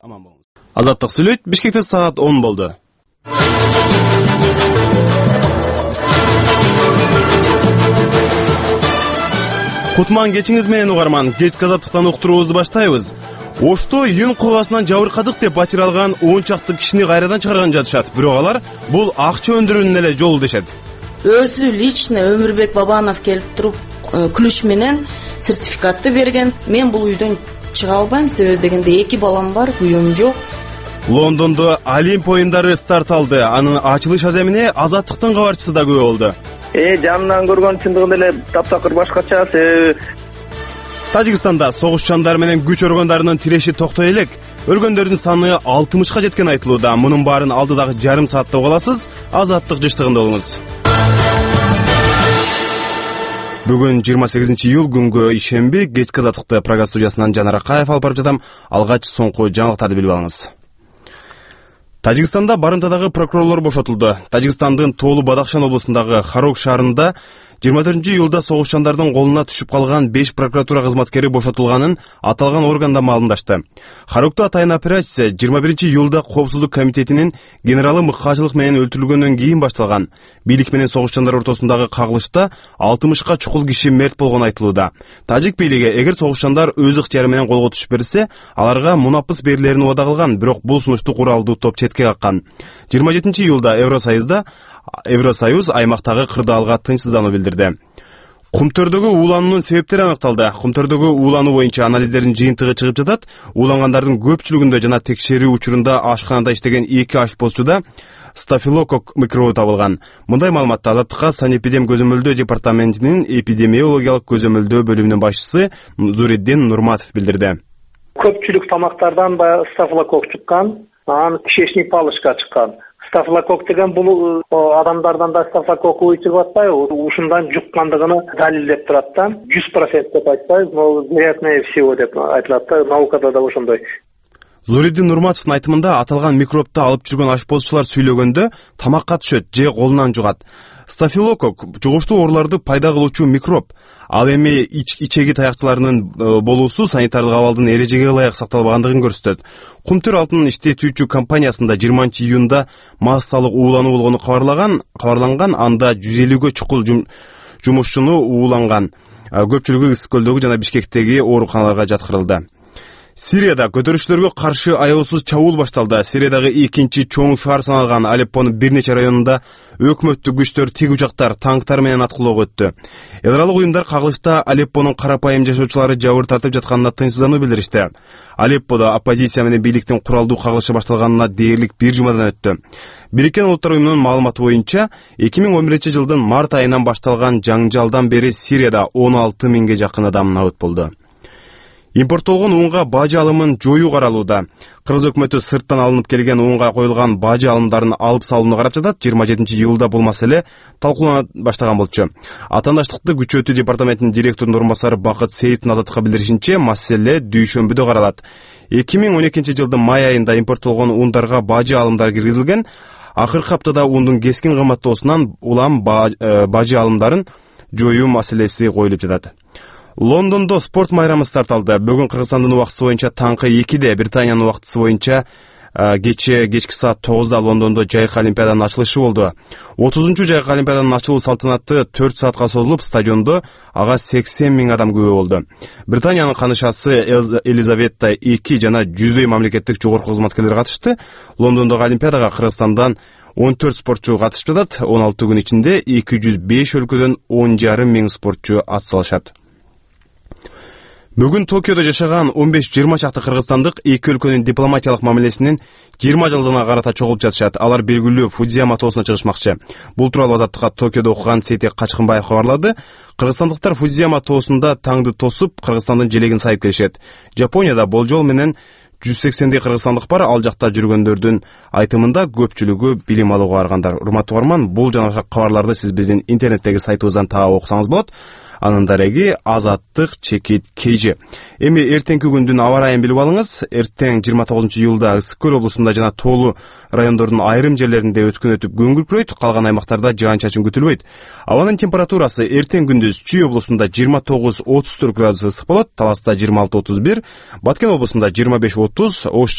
аман болуңуз. Азаттык сүйлөйт. Бишкекте саат 10 болду. Кутман кечиңиз менен угарман. Кечки азаттыктан уктуруубузду баштайбыз. Ошто июнь кугасынан жабыркадык деп бачыр алган 10 чакты кишини кайрадан чыгарган жатышат. Бирок алар бул акча өндүрүүнүн эле жолу дешет. Өзү лично Өмүрбек Бабанов келип туруп ключ менен сертификатты берген. Мен бул үйдөн чыга албайм, себеби дегенде 2 балам бар, үйүм жок. Лондондо Олимп оюндары старт алды. Анын ачылыш аземине Азаттыктын кабарчысы да күбө болду. Жанынан көргөн чындыгында эле таптакыр башкача. Тажикстанда согуш жандары менен күч органдарынын тиреши токтой элек. Өлгөндөрдүн саны 60ка жеткен айтылууда. Мунун баарын алдыдагы жарым саатта угаласыз. Азаттык жыштыгында болуңуз. Бүгүн 28-июл күнгө ишемби. Кечки азаттыкты программа студиясынан Жанар Акаев алып барып жатам. Алгач соңку жаңылыктарды билип алыңыз. Тажикстанда барымтадагы прокурорлор бошотулду. Тажикстандын Тоолу Бадахшан облусундагы Харок шаарында 24-июлда согуш жандардын колуна түшүп калган 5 прокуратура кызматкери бошотулганын аталган органда маалымдашты. Харокто атайын операция 21-июлда Коопсуздук комитетинин генералы мыкаачылык менен өлтүрүлгөндөн кийин башталган. Бийлик менен согуш жандар ортосундагы кагылышта 60ка чукул киши мерт болгону айтылууда. Тажик бийлиги эгер согуш жандар өз ыктыяры менен колго түшүп берсе, аларга мунапыс берилерин убада кылган, бирок бул сунушту куралдуу топ четке каккан. 27-июлда Евросоюз аймактагы кырдаалга тынчсыздануу билдирди. Кумтөрдөгү уулануунун себептери аныкталды. Кумтөрдөгү уулануу боюнча анализдердин жыйынтыгы чыгып жатат. Уулангандардын көпчүлүгүндө жана текшерүү учурунда ашканада иштеген 2 ашпозчуда стафилококк микробу табылган. Мындай маалыматты Азаттыкка санэпидем көзөмөлдөө департаментинин эпидемиологиялык көзөмөлдөө бөлүмүнүн башчысы Зуриддин Нурматов билдирди. Көпчүлүк тамактардан стафилококк чыккан, анан кишечник палычка чыккан. Стафилококк деген бул адамдардан да стафилококк чыгып атпайбы? Ушундан жуккандыгын далилдеп турат да. 100% деп айтпайбыз, но вероятнее всего деп айтылат да. Наукада да ошондой. Зуриддин Нурматовдун айтымында аталган микробду алып жүргөн ашпозчулар сүйлөгөндө тамакка түшөт же колунан жугат. Стафилококк жугуштуу ооруларды пайда кылуучу микроб. Ал эми ичеги таякчыларынын болуусу санитардык абалдын эрежеге ылайык сакталбагандыгын көрсөтөт. Кумтөр алтын иштетүүчү компаниясында 20-июнда массалык уулануу болгону кабарланган, анда 150гө чукул жумушчуну ууланган. Көпчүлүгү Ысык көлдөгү жана Бишкектеги ооруканаларга жаткырылды. Сирияда көтөрүшчүлөргө каршы аеосуз чабуул башталды. Сириядагы экинчи чоң шаар саналган Алеппонун бир нече районунда өкмөттүк күчтөр тик учактар, танктар менен аткылоого өттү. Эл аралык уюмдар кагылышта Алеппонун карапайым жашоочулары жабыр тартып жатканына тынчсыздануу билдиришти. Алепподо оппозиция менен бийликтин куралдуу кагылышы башталганына дээрлик 1 жумадан өттү. Бириккен Улуттар уюмунун маалыматы боюнча 2011-жылдын март айынан башталган жаңжалдан бери Сирияда 16 миңге жакын адам набыт болду. Импорттолгон унга бажы алымын жоюу каралууда. Кыргыз өкмөтү сырттан алынып келген унга коюлган бажы алымдарын алып салууну карап жатат. 27-июлда бул маселе талкуулана баштаган болчу. Атаандаштыкты күчөтүү департаментинин директорунун орун басары Бакыт Сейиттин Азаттыкка билдиришинче, маселе дүйшөмбүдө каралат. 2012-жылдын май айында импорттолгон ундарга бажы алымдары киргизилген. Акыркы аптада ундун кескин кымбаттоосунан улам бажы алымдарын жоюу маселеси коюлуп жатат. Лондондо спорт майрамы старт алды. Бүгүн Кыргызстандын убактысы боюнча таңкы 2-де, Британиянын убактысы боюнча кечки саат 9-да Лондондо жайык олимпиаданын ачылышы болду. 30-чу жайык олимпиаданын ачылуу салтанаты 4 саатка созулуп, стадиондо ага 80 миң адам күбө болду. Британиянын канышасы Елизавета II жана 100 мамлекеттик жогорку кызматкерлер катышты. Лондондогу олимпиадага Кыргызстандан 14 спортчу катышып жатат. 16 күн ичинде 205 өлкөдөн 10,5 миң спортчу ат салышат. Бүгүн Токиодо жашаган 15-20 чакты кыргызстандык эки өлкөнүн дипломатиялык мамилесинин 20 жылдыгына карата чогулуп жатышат. Алар белгилүү Фудзияма тоосуна чыгышмакчы. Бул тууралуу Азаттыкка Токиодо окуган Сейтек Качкынбаев кабарлады. Кыргызстандыктар Фудзияма тоосунда таңды тосуп, Кыргызстандын желегин сайып келишет. Жапонияда болжол менен 180дей кыргызстандык бар. Ал жакта жүргөндөрдүн айтымында көпчүлүгү билим алууга баргандар. Урматтуу угарман, бул жана кабарларды сиз биздин интернеттеги сайтыбыздан таап окусаңыз болот. Анын дареги Azattık_KG. Эми эртеңки күндүн аба ырайын билип алыңыз. Эртең 29-июлда Ысык көл облусунда жана Тоолу райондордун айрым жерлеринде өткөн өтүп күн күркүрөйт, калган аймактарда жаан-чачын күтүлбөйт. Абанын температурасы эртең күндүз Чүй облусунда 29-34 градус ысык болот, Таласта 26-31, Баткен облусунда 25-30, Ош